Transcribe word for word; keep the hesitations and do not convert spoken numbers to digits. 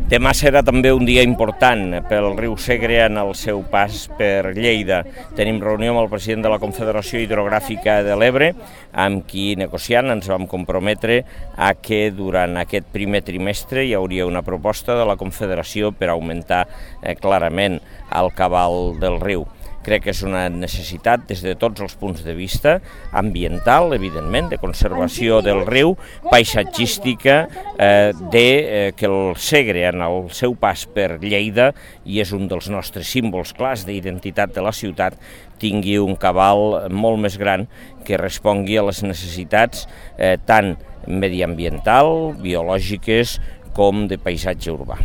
Demà serà també un dia important pel riu Segre en el seu pas per Lleida. Tenim reunió amb el president de la Confederació Hidrogràfica de l'Ebre, amb qui negociant ens vam comprometre a que durant aquest primer trimestre hi hauria una proposta de la Confederació per augmentar eh, clarament el cabal del riu. Crec que és una necessitat des de tots els punts de vista, ambiental, evidentment, de conservació del riu, paisatgística, eh, de eh, que el Segre en el seu pas per Lleida, i és un dels nostres símbols clars d'identitat de la ciutat, tingui un cabal molt més gran que respongui a les necessitats eh, tant mediambiental, biològiques, com de paisatge urbà.